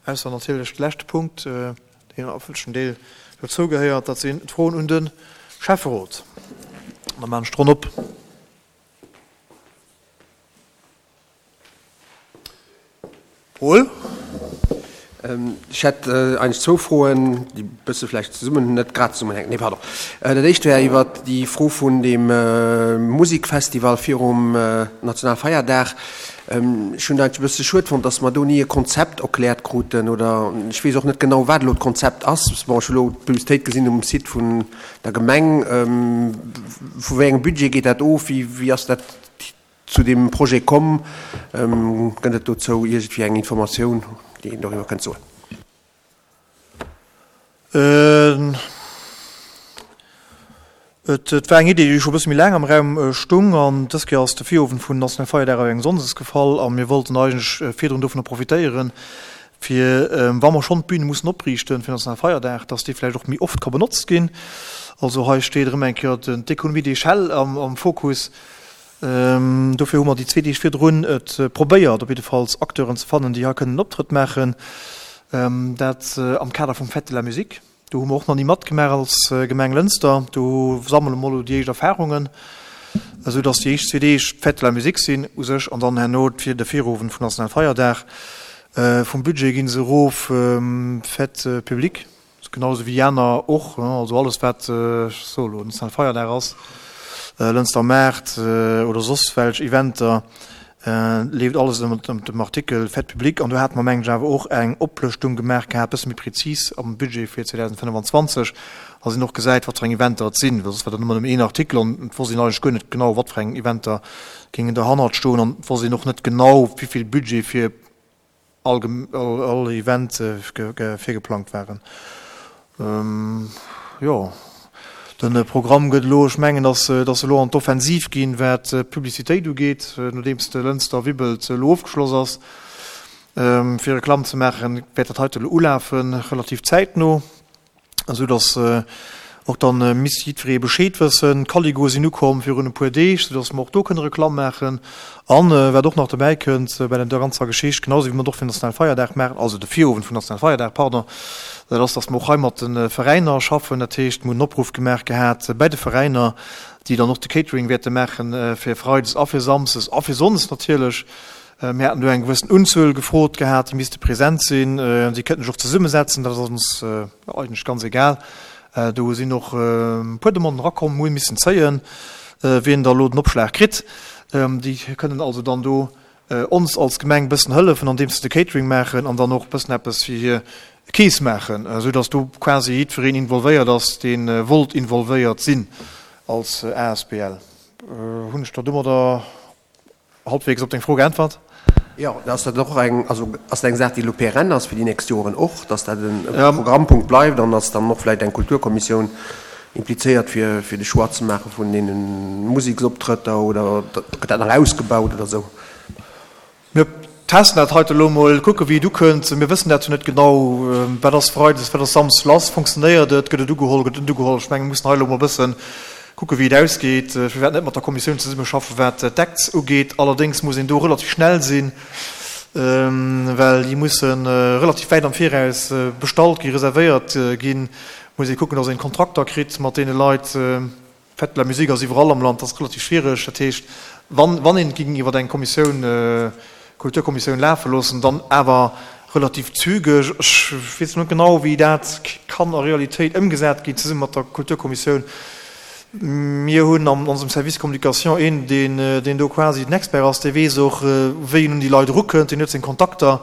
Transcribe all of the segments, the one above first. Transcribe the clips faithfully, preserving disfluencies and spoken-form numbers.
Ausser natierlech de leschte Punkt, deen a wëlchen Deel dozou gehéiert, dat sinn d'Froen un de Schäfferot. An da maachen ech d'Ronn op. Paul? Ech hätt eigentlech zwou Froen, déi e bësse vläicht zesummen, net grad zesummenhänken, nee, pardon. Dat éischt wär iwwert déi Fro vun deem Musikfestival virum Nationalfeierdag. Ech hunn eigentlech e bësse schued fonnt, dass mer do ni e Konzept erkläert kruten, oder ech weess och net genau, wat elo d'Konzept ass. Bon, ech hu elo d'Publicitéit gesinn um Site vun der Gemeng. Vu wéi engem Budget geet dat of? Wéi, wéi ass dat zu deem Projet komm? Gëtt et dozou iergendwéi eng Informatioun, déi een doriwwer kënnt soen? Et war eng Idee, déi scho e bësse méi laang am Raum stung, an dës Kéier ass de Virowend vun Nationalfeierdag op eng Sonndes gefall a mir wollten eigentlech virdrun dovunner profitéieren, fir, wa mer schonn d'Bühne mussen opriichten fir Nationalfeierdag, dass déi vläicht och méi oft ka benotzt ginn. Also hei steet erëm eng Kéier d'Économie d'échelle am Fokus. Dofir hu mer déi zwee Deeg virdrun et probéiert, op jiddefalls Acteuren ze fannen, déi hei kënnen en Optrëtt maachen. Dat am Kader vum Fête de la Musique. Do hu mer och nach ni matgemaach als Gemeng Lënster. Do sammele mer elo déi éischt Erfarungen, esou datt déi éischt zwee Deeg d'Fête de la Musique sinn u sech an dann herno de Virowend vum Nationalfeierdag. Vum Budget gi se erof, Fête publique. Genau esou wéi aner och, also alles wat, ech soe elo, Nationalfeierdag ass, Lënster Maart oder soss welch Eventer, leeft alles ënner dem Artikel Fête publique. An do hate mer, mengen ech, awer och eng Oplëschtung gemaach gehat, e bësse méi prezis am Budget fir zweedausendfënnefenzwanzeg, dass een och gesäit, wat fir eng Eventer et sinn, well soss war dat ëmmer nëmmen een Artikel an et wosst een eigentlech guer net genau, wat fir eng Eventer géingen derhannert stoen an et wosst een och net genau, wéi vill Budget fir all Event virgeplangt waren. Jo, de Programm gëtt elo, ech mengen, datt se elo an d'Offensiv ginn, wat d'Publicitéit ugeet, nodeems de Lënster Wibbelt elo ofgeschloss ass. Fir Reklamm ze maachen, wäert dat heite elo ulafen, relativ zäitno, esou datt och dann misst jiddweree Bescheed wëssen. D'Caligoe sinn ukomm virun e puer Deeg, soudass mer och do kënne Reklamm maachen. An wat och nach dobäi kënnt bei der ganzer Geschicht, genau esou wéi mer et och fir den Nationalfeierdag maachen, also de Virowend vum Nationalfeierdag, pardon, dat ass, dass mer och hei mat de Veräiner schaffen. Dat heescht, mer hunn en Opruff gemaach gehat bäi de Veräiner, déi dann och de Catering wäerte maache fir Freides a fir Samsdes a fir Sonndes natierlech. Mir haten do eng gewëssen Unzuel gefrot gehat, déi misste present sinn. Déi kënnten sech och zesummesetzen, dat ass ons eigentlech ganz egal. Do sinn och e puer Demanden erakomm, mir hu missen zéien, wien da elo den Opschlag kritt. Déi kënnen also dann do ons als Gemeng e bëssen hëllefen, andeems se de Catering maachen an dann och e bëssen eppes fir hir Keess maachen, esou datt do quasi jiddwereen involvéiert ass, dee wollt involvéiert sinn als asbl. Hunn ech der domadder Halbwegs op deng Fro geäntwert? Jo, ass dat och eng, also ass dat eng Saach, déi elo pérenne ass fir déi nächst Joren och, dass dat e Programmpunkt bleift an dass dann och vläicht eng Kulturkommissioun implizéiert, fir, fir de Choix ze maache vun deene Museksoptrëtter oder gëtt dat nach ausgebaut oder esou? Mir testen dat heite elo emol, kucke wéi et ukënnt. Mir wëssen dat jo net genau, wat ass freides, wat ass samsdes lass, funktionéiert et, gëtt et ugeholl, gëtt et net ugeholl. Ech mengen, mir mussen hei elo emol e bësse kucke wéi et ausgeet. Ech wäert net mat der Kommissioun zesummeschaffen, wat d'Acts ugeet. Allerdéngs muss een do relativ schnell sinn, well déi musse relativ wäit am Viraus bestallt ginn, reservéiert ginn. Muss ee kucken, datt een Kontrakter kritt mat deene Leit. Fête de la musique ass iwwerall am Land, dat ass relativ schwiereg. Dat heescht, wann, wann een et géing iwwer eng Kommissioun, Kulturkommissioun lafe loossen, dann awer relativ zügeg. Ech weess net genau, wéi dat kann a Realitéit ëmgesat ginn, zesumme mat der Kulturkommissioun. Mir hunn an onsem Service Communication een, deen, deen do quasi den Expert ass, dee weess och, wéi en un déi Leit erukënnt, deen huet seng Kontakter.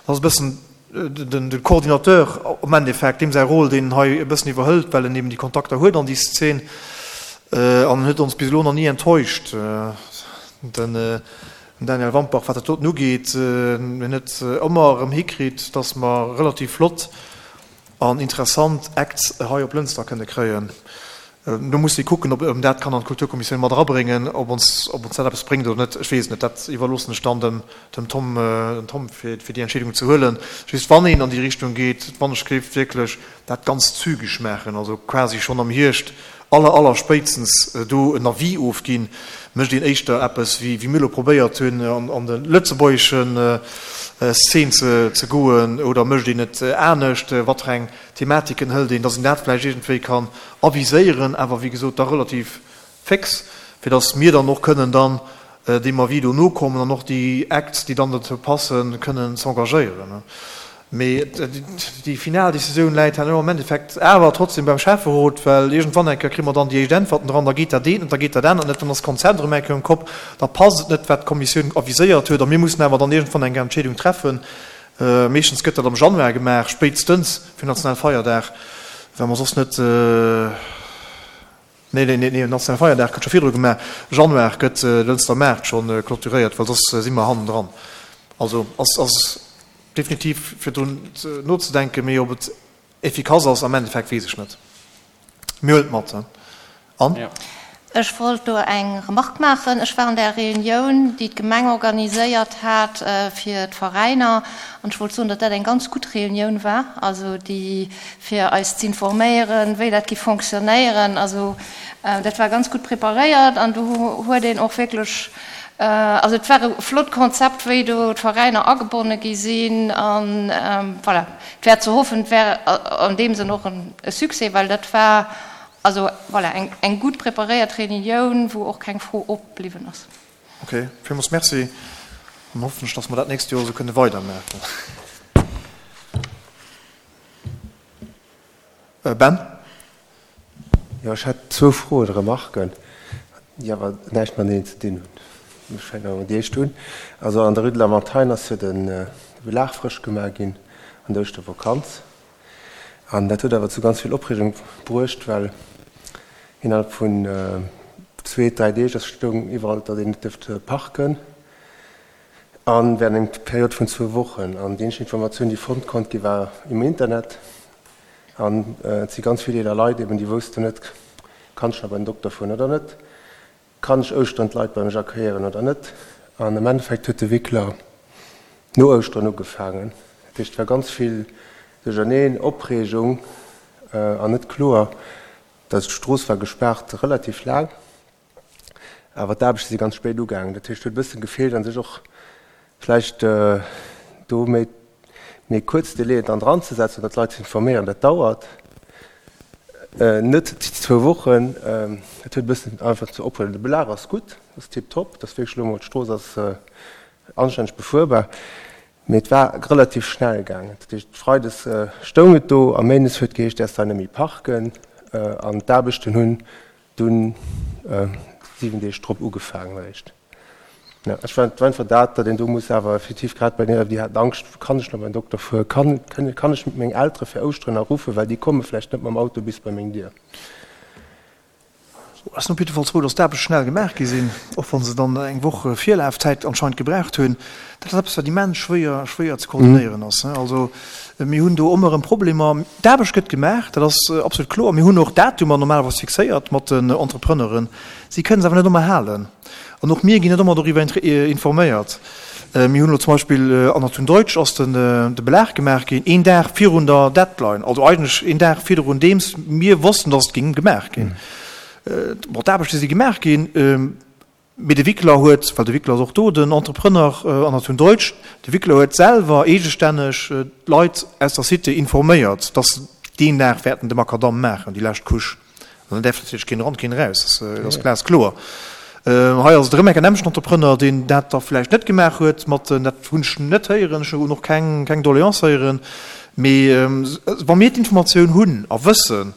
Dat ass e bëssen de Coordinateur am Endeffekt, deem säi Rôle, deen en hei e bëssen iwwerhëlt, well en eben déi Kontakter huet an déi Szene, an en huet ons bis elo nach ni enttäuscht, den Daniel Wampach, wat dat doten ugeet. En huet ëmmer erëm hikritt, datt mer relativ flott an interessant Acts hei op Lënster kënne kréien. Do muss ee kucken, ob een dat kann an d'Kulturkommissioun mat erabréngen, ob ons, ob ons dat eppes bréngt oder net, ech weess et net. Dat iwwerloossen ech dann dem, dem Tom, dem Tom fir, fir déi Entscheedung ze huelen. Just wann een an déi Richtung geet, wann ech géif wierklech dat ganz zügeg maachen, also quasi schonn am Hierscht aller, aller spéitstens do en Avis ofginn, mécht een éischter eppes, wéi, wéi mir elo probéiert hunn an, an de lëtzebuergeschen Szene ze, ze goen oder mécht een et anescht, wat fir eng Thematiken hëlt een, dass een dat vläicht iergendwéi kann aviséieren, awer wéi gesot da relativ fix, fir dass mir dann och kënnen dann deem Avis do nokommen an och déi Acts, déi dann dozou passen, kënnen z'engagéieren. Mee déi final Decisioun läit herno am Endeffekt awer trotzdem beim Schäfferot, well iergendwann eng Kéier kréie mer dann déi éischt Äntwerten dran, da geet dat eent net, da geet dat anert net, dann ass d'Konzept erëm eng Kéier um Kopp, da passt et net, wat d'Kommissioun aviséiert huet a mir mussen awer dann iergendwann eng Entscheedung treffen. Meeschtens gëtt dat am Januar gemaach, spéitstens fir Nationalfeierdag, well mer soss net, nee, nee, nee, Nationalfeierdag gëtt scho virdru gemaach, Januar gëtt de Lënster Maart scho clôturéiert, well soss si mer hannendran. Also ass, ass. Definitiv fir drun nozedenken, mee ob et efficace ass am Endeffekt weess ech net. Mir huelen et mat. An? Ech wollt do eng Remarque maachen. Ech war an där Reunioun, déi d'Gemeng organiséiert hat fir d'Veräiner, an ech wollt soen, datt dat eng ganz gutt Reunioun war, also déi fir eis z'informéieren, wéi dat géif fonctionnéieren. Also dat war ganz gutt preparéiert an do huet een och wierklech Also et war e flott Konzept, wéi do d'Veräiner agebonne gi sinn. An voilà, et wär ze hoffen, et wär an deem Sënn och e Succès, well dat war also voilà eng eng gutt preparéiert Reunioun, wou och keng Fro opbliwwen ass. Ok, villmools Merci. Dann hoffen ech, dass mer dat nächst Joer esou kënne weidermaachen. Ben? Jo, ech hätt zwou Froen, Remarken, déi awer näischt mateneen ze dinn hunn. Ech fänken awer mat déi éischt un. Also an der Rue de la Montagne ass jo de Belag frësch gemaach ginn an der Ouschtervakanz. An dat huet awer zu ganz vill Opreegung bruecht, well innerhalb vun zwee, dräi Deeg ass stoung iwwerall, datt een net dierft parken a während enger Period vun zwou Wochen. An déi eenzeg Informatioun, déi fonnt konnt gi war im Internet. An et si ganz vill eeler Leit eben, déi woussten net, Kann ech nach bei den Dokter fueren oder net? Kann ech Ouschteren d'Leit bei mech accueillieren oder net? An am Endeffekt huet de Wickler no Ouschteren ugefaangen. Dat heescht, et war ganz vill Duercherneen, Opreegung an net kloer. D'Strooss war gespaart relativ laang, awer d'Aarbechte si ganz spéit ugaangen. Dat heescht, et huet e bësse gefeelt a sech och vläicht do méi méi kuerz Délaiën dann dran ze setzen oder d'Leit ze informéieren. Dat dauert net déi zwou Wochen. Dat huet e bëssen einfach zu ophuelen. De Belag ass gutt, ass tiptop, dat ass wierklech elo emol, d'Strooss ass anstänneg befuerbar, mee et war relativ schnell gaangen. Dat heescht, freides stoung et do a méindes huet geheescht, däerfs hei net méi parken an d'Aarbechten hunn dunn siwen Deeg drop ugefaangen eréischt. Ja, ech war einfach dat, datt een do muss awer effektiv grad bei deene, déi haten Angscht, kann ech nach beim Dokter fueren, kann, kann, kann ech meng Eltere fir Ouschteren nach ruffen, well déi komme vläicht net mam Auto bis bei meng Dier. Ech sinn op jiddefalls frou, datt d'Aarbechte schnell gemaach gi sinn, och wa se dann eng Woch Virlafzäit anscheinend gebraucht hunn. Dat ass eppes, wat immens schwéier, schwéier ze koordinéieren ass. Also mir hunn do ëmmer erëm Problemer. D'Aarbecht gëtt gemaach, dat ass absolut kloer. Mir hunn och Datumer normalerweis fixéiert mat den Entrepreneuren. Si kënnen se awer net ëmmer halen. An och mir ginn net ëmmer doriwwer informéiert. Mir hunn elo zum Beispill an der Thun Deutsch ass de Belag gemaach ginn een Dag virun der Deadline, also eigentlech een Dag virdrun deems mir wossten, datt et géing gemaach ginn. Bon, d'Aarbechte si gemaach ginn, mee de Wickler huet, well de Wickler ass och do den Entrepreneur an der Thun Deutsch, de Wickler huet selwer eegestänneg d'Leit aus der Cité informéiert, datt se deen Dag wäerten de Makadamm maachen, déi lescht Couche. An dann däerf natierlech keen eran, keen eraus, dat ass glaskloer. Hei ass et erëm enk en aneschten Entrepreneur, deen dat da vläicht net gemaach huet mat den, dat hunn ech net héieren, ech hunn och keng, keng Doléance héieren, mee wa mir d'Informatioun hunn a wëssen,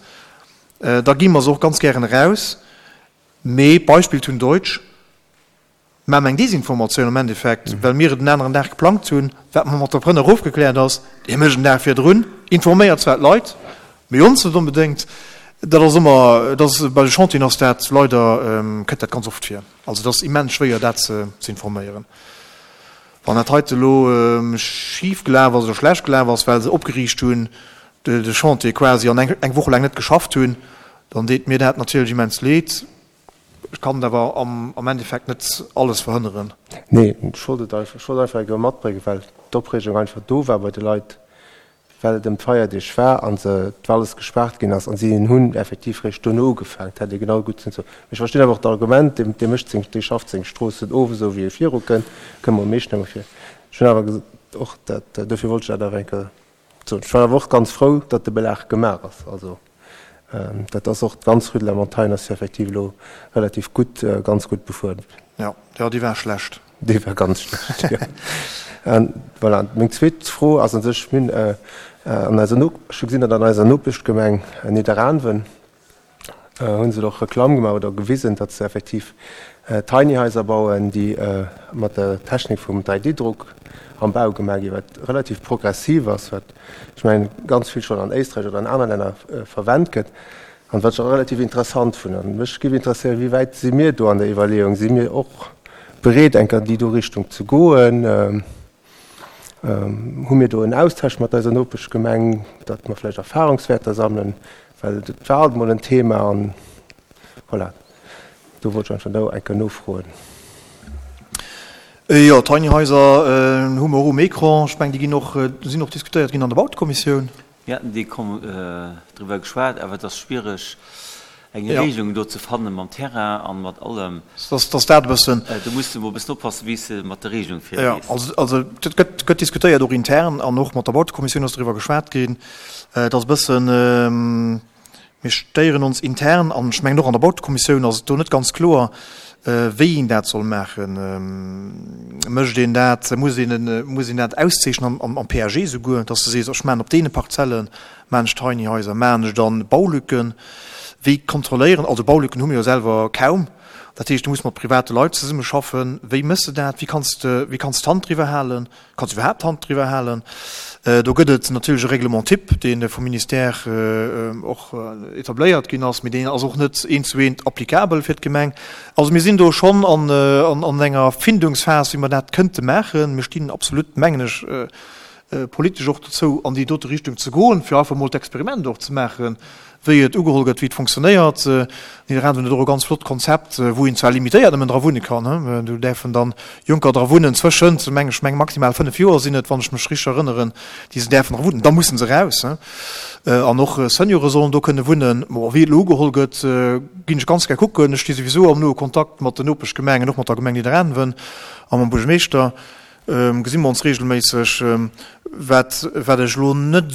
da gi mer se och ganz gären eraus. Mee Beispill Thun Deutsch, Mä eng Desinformatioun am Endeffekt, well mir et en aneren Dag geplangt hunn, wat mam Entrepreneur ofgekläert ass, dee mécht en Dag virdrun, informéiert zwar d'Leit, mee ons net onbedéngt. Dat ass ëmmer, dat ass bei de Chantieren ass dat leider, kënnt dat ganz oft vir. Also et ass immens schwéier dat ze informéieren. Wann dat heite elo schif gelaf ass oder schlecht gelaf ass, well se opgeriicht hunn, de Chantier quasi an eng Woch laang net geschafft hunn, dann deet mir dat natierlech immens leed. Ech kann et awer am Endeffekt net alles verhënneren. Nee, ech wollt et einfach, ech wollt einfach eng Kéier matbréngen, well d'Opreegung einfach do war bei de Leit, well et ëm d'Feierdeeg war a se, alles gespaart ginn ass a si hunn effektiv réischt dono ugefaangen. Et hätt ee genau gutt sinn. Mee ech verstinn awer och d'Argument, dee, dee mécht seng, dee schafft seng Stroossen of, esou wéi e virukënnt, kënnt mer am meeschten ëmmer vir. Ech hunn awer och dat, dofir wollt ech dat awer eng Kéier soen. Ech war awer och ganz frou, datt de Belag gemaach ass. Also dat ass och, d'ganz Rue de la Montagne ass jo effektiv elo relativ gutt, ganz gutt befuer. Jo, jo, déi war schlecht. Déi war ganz schlecht, jo. An voilà, meng zweet Fro ass u sech, mir hunn an eiser No, ech hu gesinn, datt an eiser Nopeschgemeng Nidderaanwen hu se och Reklamm gemaach oder gewisen, datt se effektiv Tiny Haiser bauen, déi mat der Technik vum drei D-Druck am Bau gemaach ginn, wat relativ progressiv ass, wat ech mengen ganz vill schonn an Éisträich oder an aner Länner verwennt gëtt an wat ech och relativ interessant fannen. An mech géif interesséieren, wéi wäit si mir do an der Iwwerleeung? Si mir och bereet, enk an déi do Richtung ze goen? Hu mir do en Austausch mat eiser Nopeschgemeng, datt mer vläicht Erfahrungswäerter sammelen? Well dat war alt emol en Thema an voilà, do wollt ech einfach no eng Kéier nofroen. Jo, Tiny Haiser hu mer och um Ecran. Ech mengen, déi ginn och, sinn och diskutéiert ginn an der Bautekommissioun. Mir haten déi driwwer geschwat, awer et ass schwiereg, eng Regelung do ze fanne mam Terrain a mat allem. Dass dat e bëssen. Do muss de mol e bëssen oppassen, wéi s de mat der Regelung virgees. Jo, also et gëtt, gëtt diskutéiert, och intern an och mat der Bautekommissioun ass driwwer geschwat ginn. Et ass e bëssen, mir stéieren ons intern an ech mengen och an der Bautekommissioun ass et do net ganz kloer, wéi een dat soll maachen. Mécht een dat, muss een, muss een dat auszeechnen am, am P A G esouguer, dass de sees, ech maachen op deene Parzelle maachen ech Tiny Haiser, maachen ech dann Baulücken, wéi kontrolléieren, also Baulücken hu mir jo selwer kaum, dat heescht, du muss mat private Leit zesummeschaffen, wéi méchs de dat, wéi kanns de, wéi kanns d'Hand driwwer halen, kanns du iwwerhaapt d'Hand driwwer halen? Do gëtt et natierlech e Règlement type, dee vum Ministère och etabléiert ginn ass, mee deen ass och net eent zu eent applicabel fir d'Gemeng. Also mir sinn do schonn an, an enger Findungsphas, wéi mer dat kënnte maachen. Mir stinn absolut, mengen ech, politesch och dozou, an déi dote Richtung ze goen, fir einfach emol d'Experiment och ze maachen, wéi et ugeholl gëtt, wéi et funktionéiert. Nidderaanwen huet och e ganz flott Konzept, wou een zwar limitéiert nëmmen dra wunne kann, do däerfen dann Jonker dra wunnen, zwëschent, meng ech, meng maximal fënnef Joer sinn et, wann ech mech richteg erënneren, déi se däerfen dra wunnen, da musse se eraus. An och Seniore sollen do kënne wunnen. Bon, wéi et elo ugeholl gëtt, ginn ech ganz gär kucken. Ech sti souwisou am noe Kontakt mat den Nopeschgemengen, och mat der Gemeng Nidderaanwen a mam Buergermeeschter. Gesi mer ons regelméisseg. Wat, wat ech elo net,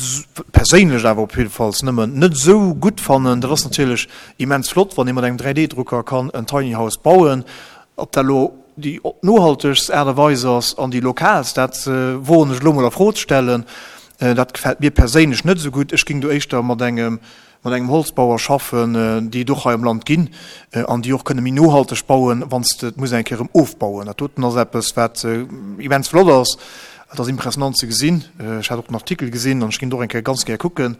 perséinlech awer op jiddefalls nëmmen, net esou gutt fannen, dat ass natierlech immens flott, wann ee mat engem dräi D Drucker kann en Tiny House bauen. Ob dat elo déi nohaltegst Aart a Weis ass an déi lokaalst, dat woen ech elo mol a Fro ze stellen. Dat gefält mir perséinlech net esou gutt. Ech géing do éischter mat engem mat engem Holzbauer schaffen, déi et och hei am Land ginn an déi och kënne méi nohalteg bauen, wann s de et muss eng Kéier erëm ofbauen. Dat doten ass eppes, wat immens flott ass. Et ass impressionant ze gesinn. Ech hat och den Artikel gesinn an ech ginn et och eng Kéier ganz gär kucken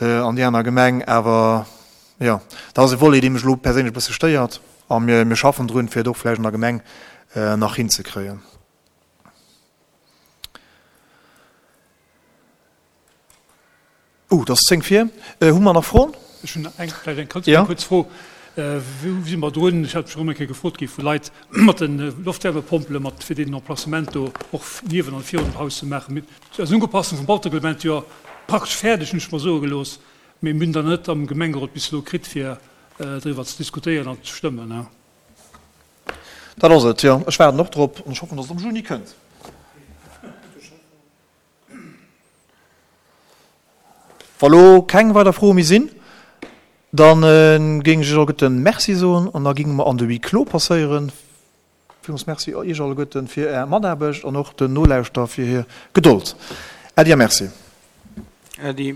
an déi aner Gemeng. Awer jo, dat ass e Volet, dee mech elo perséinlech e bësse stéiert a mir, mir schaffen drun, fir et och vläicht an der Gemeng nach hinzekréien. Oh, et ass zéng vir. Hu mer nach Froen? Ech hunn eng, vläicht eng ganz kuerz Fro. Wou si mer drun? Ech hat mech erëm eng Kéier gefrot gi vu Leit mat de Loftwärmepompele mat, fir deen Emplacement do och niewen an virun dem Haus ze maachen. Mir ass Upassung vum Bautereglement jo praktesch fäerdeg, hunn ech mer soe gelooss, mee mir hunn der net am Gemengerot bis elo kritt, fir driwwer ze diskutéieren an ze stëmmen. Dat ass et, jo. Ech waarden och drop an ech hoffen, datt et am Juni kënnt. Wa lo keng weider Froe méi sinn, da géing ech iech alleguerten Merci soen an da géinge mer an de Huis clos passéieren. Villmools Merci iech alleguerten fir Är Mataarbecht an och den Nolauschterer fir hir Gedold. Äddi a Merci. Äddi.